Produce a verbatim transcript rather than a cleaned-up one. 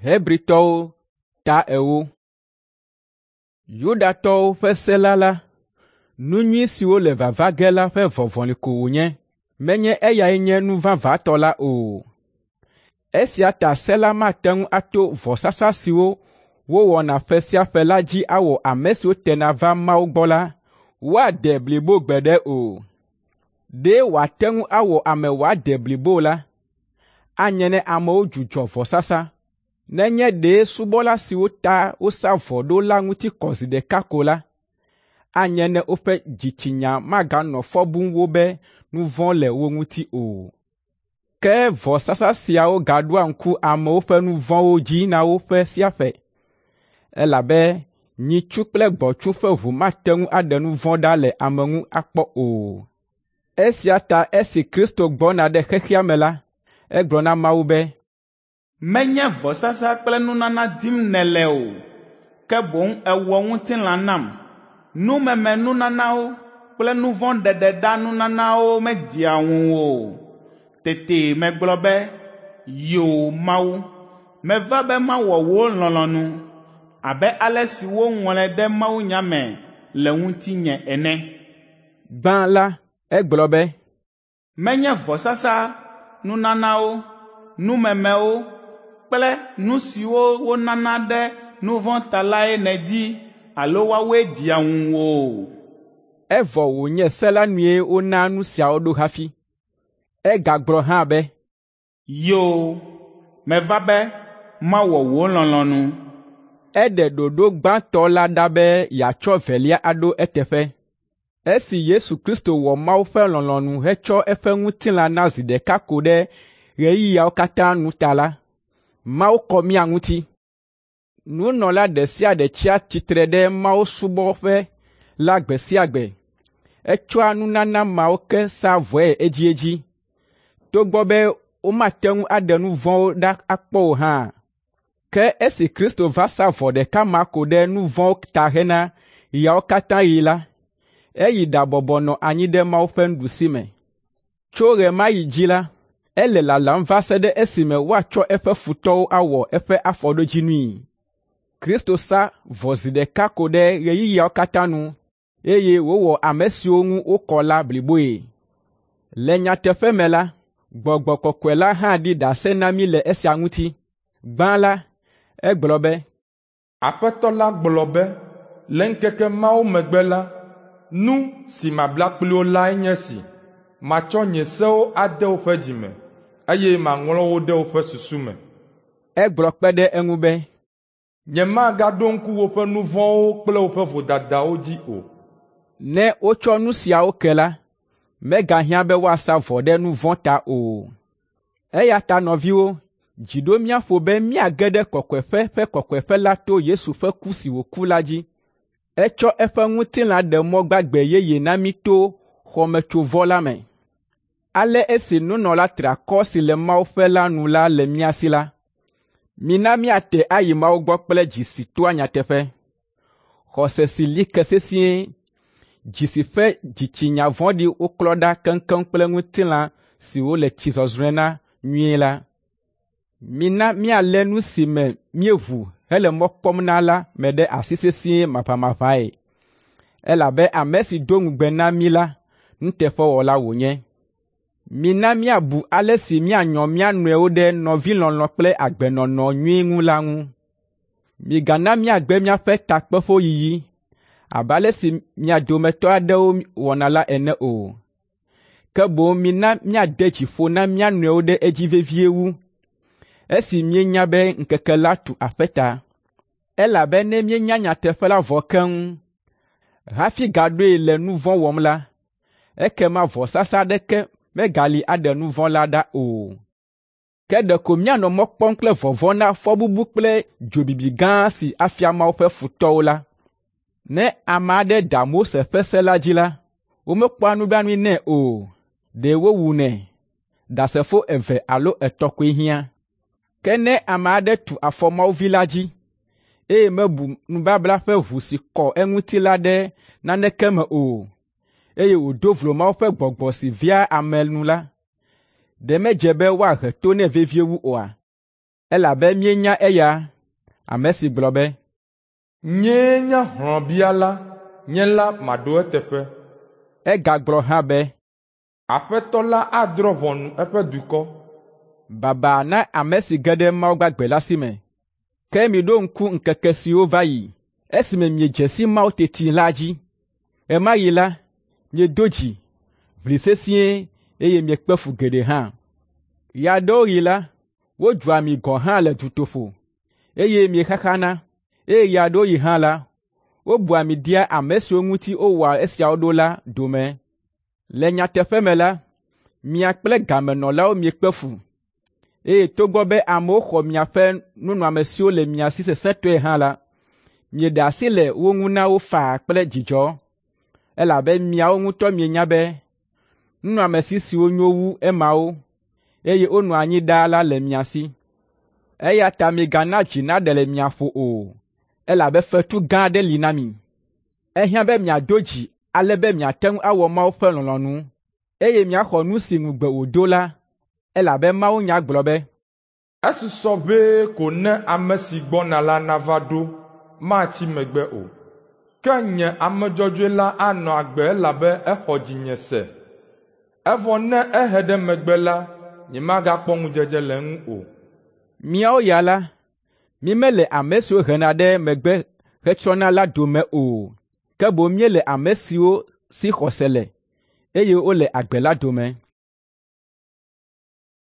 Hebritɔwo ta ewo. Yudatɔwo ƒe se la la, nu nyui siwo le vava ge la ƒe vɔvɔli ko wònye, menye eyae nye nu vavãtɔ la o. Esia ta se la mate ŋu ato vɔsasa siwo wowɔna ƒe sia ƒe la dzi awɔ ame siwo tena vaa Mawu gbɔ la woade blibo gbeɖe o. Ɖe wòate ŋu awɔ ame wòade blibo la, anye ne amewo dzudzɔ vɔsasa, nenye ɖe subɔla siwo ta wosa vɔ ɖo la ŋuti kɔ zi ɖeka ko la, anye ne woƒe dzitsinya maganɔ fɔ bum wo be nu vɔ̃ le wo ŋuti o. Ke vɔsasa siawo gaɖoa ŋku amewo ƒe nu vɔ̃wo dzi na wo ƒe sia ƒe, elabe nyitsu kple gbɔ̃tsu ƒe ʋu mate ŋu aɖe nu vɔ̃ ɖa le ame ŋu akpɔ o. Esia ta esi Kristo gbɔna ɖe xexea me la, egblɔ na Mawu be, Menye vɔsasa kple nunana dim nèle o, ke boŋ èwɔ ŋutilã nam. Numemenunanawo kple nu vɔ̃ ɖeɖeɖa nunanawo medzea ŋuwò o. Tete megblɔ be, “Yoo Mawu, meva be mawɔ wò lɔlɔ̃nu abe ale si woŋlɔe ɖe mawunya me le ŋutinye ene.” Gbã la, egblɔ be, Menye vɔsasa, nunanawo, numemewo kple nu siwo wonana ɖe nu vɔ̃ ta lae nèdi alo woawoe dzea ŋuwò o. Evɔ wònye se la nue wona nu siawo ɖo hafi. Egagblɔ hã be, “Yoo, meva be mawɔ wò lɔlɔ̃nu.” Eɖe ɖoɖo gbãtɔ la ɖa be yeatsɔ evelia aɖo eteƒe. Esi Yesu Kristo wɔ Mawu ƒe lɔlɔ̃nu hetsɔ eƒe ŋutilã na zi ɖeka ko ɖe ɣeyiɣiawo katã nu ta la, Mawu kɔ mía ŋuti. Nunɔla ɖe sia ɖe tsia tsitre ɖe mawusubɔƒe la gbe sia gbe. Etsɔa nunana mawo ke saa vɔe edziedzi, togbɔ be womate ŋu aɖe nu vɔ̃wo ɖa akpɔ o hã. Ke esi Kristo va sa vɔ ɖeka ma ko ɖe nu vɔ̃wo ta hena ɣeawo katã ɣi la, eyi ɖabɔbɔ nɔ anyi ɖe Mawu ƒe nuɖusime. Tso ɣe ma ɣi dzi la, ele lalam va se ɖe esime woatsɔ eƒe futɔwo awɔ eƒe afɔɖodzinui. Kristo sa vɔ zi ɖeka ko ɖe ɣeyiɣiawo katã nu, eye wòwɔ ame siwo ŋu wokɔ la bliboe. Le nyateƒe me la, Gbɔgbɔ Kɔkɔe la hã ɖi ɖase na mí le esia ŋuti. Gbã la, egblɔ be, Aƒetɔ la gblɔ be, le ŋkeke mawo megbe la, nu si mabla kpli wo lae nye esi: Matsɔ nye sewo ade woƒe dzi me, eye maŋlɔ wo ɖe woƒe susu me. Egblɔ kpe ɖe eŋu be, Nyemagaɖo ŋku woƒe nu vɔ̃wo kple woƒe vodadawo dzi o. Ne wotsɔ nu siawo ke la, megahiã be woasa vɔ ɖe nu vɔ̃ ta o. Eya ta nɔviwo, dzi ɖo mía ƒo be míage ɖe kɔkɔeƒe ƒe kɔkɔeƒe la to Yesu ƒe ku si wòku la dzi. Etsɔ eƒe ŋutilã ɖe mɔ gbagbe yeye na mí to xɔmetsovɔ la me. Ale esi nunɔla triakɔ si le Mawu ƒe la nu la le mía si la, mina míate ayi Mawu gbɔ kple dzi si toa nyateƒe, xɔse si li ke sesĩe, dzi si ƒe dzitsinya vɔ̃ɖi woklɔ ɖa keŋkeŋ kple ŋutilã si wole tsi zɔzrɔ̃e na nyuie la. Mina míalé nu si me míeʋu hele mɔ kpɔm na la me ɖe asi sesĩe maʋamaʋãe, elabe ame si do ŋugbe na mí la, nuteƒewɔla wònye. Mina míabu ale si míanyɔ mía nɔewo ɖe nɔvilɔlɔ̃ kple agbenɔnɔ nyui ŋu la ŋu. Migana míagbe míaƒe takpeƒewo yiyi abe ale si mia dometɔ aɖewo wɔna la ene o. Ke boŋ mina míade dzi ƒo na mía nɔewo ɖe edzi vevie wu, esi míenya be ŋkeke la tu aƒe ta. Elabe ne míenya nyateƒe la vɔ keŋ hafi gaɖoe le nu vɔ̃ wɔm la, ekema vɔsasa aɖeke megali aɖe nu vɔ̃ la ɖa o. Ke ɖeko míanɔ mɔ kpɔm kple vɔvɔ̃ na fɔbubu kple dzobibi gã si afia Mawu ƒe futɔwo la. Ne ame aɖe da Mose ƒe se la dzi la, womekpɔa nublanui nɛ o, ɖe wowunɛ. Ɖasefo eve alo etɔ̃ koe hiã. Ke ne ame aɖe tu afɔ Mawu Vi la dzi, eye mebu nubabla ƒe ʋu si kɔ eŋuti la ɖe naneke me o, eye wòdo vlo Mawu ƒe Gbɔgbɔ si vea ame nu la, ɖe medze be woahe to nɛ vevie wu oa? Elabe míenya eya, ame si gblɔ be, Nyee nye hlɔ̃biala, nye la maɖo eteƒe. Egagblɔ hã be, Aƒetɔ la adrɔ̃ ʋɔnu eƒe dukɔ. Baba na ame si ge ɖe Mawu gbagbe la si me. Ke miɖo ŋku ŋkeke siwo va yi, esime miedze si Mawu teti la dzi. Ɣe ma ɣi la, miedo dzi, ʋli sesĩe eye miekpe fu geɖe hã. Ɣe aɖewo ɣi la, wodzua mi gɔ̃ hã le dutoƒo, eye miexaxana, eye ɣe aɖewo ɣi hã la, wobua mi dea ame siwo ŋuti wowɔa esiawo ɖo la dome. Le nyateƒe me la, mia kple gamenɔlawo miekpe fu, eye togbɔ be amewo xɔ miaƒe nunɔamesiwo le mia si sesẽtɔe hã la, mieɖe asi le wo ŋu na wo faa kple dzidzɔ, elabe miawo ŋutɔ mienya be nunɔamesi siwo nyo wu emawo, eye wonɔa anyi ɖaa la le mia si. Eya ta migana dzi naɖe le mia ƒo o, elabe fetu gã aɖe li na mi. Ehiã be miado dzi ale be miate ŋu awɔ Mawu ƒe lɔlɔ̃nu, eye miaxɔ nu si ŋugbe wòdo la, elabe mawunya gblɔ be, Esusɔ ʋɛe ko ne ame si gbɔna la nava ɖo, matsi megbe o. Ke nye ame dzɔdzɔe la anɔ agbe elabe exɔ dzinye se. Evɔ ne ehe ɖe megbe la, nyemagakpɔ ŋudzedze le eŋu o. Míawo ya la, mímele ame siwo hena ɖe megbe hetsrɔ̃na la dome o, ke boŋ míele ame siwo si xɔse le, eye wole agbe la dome.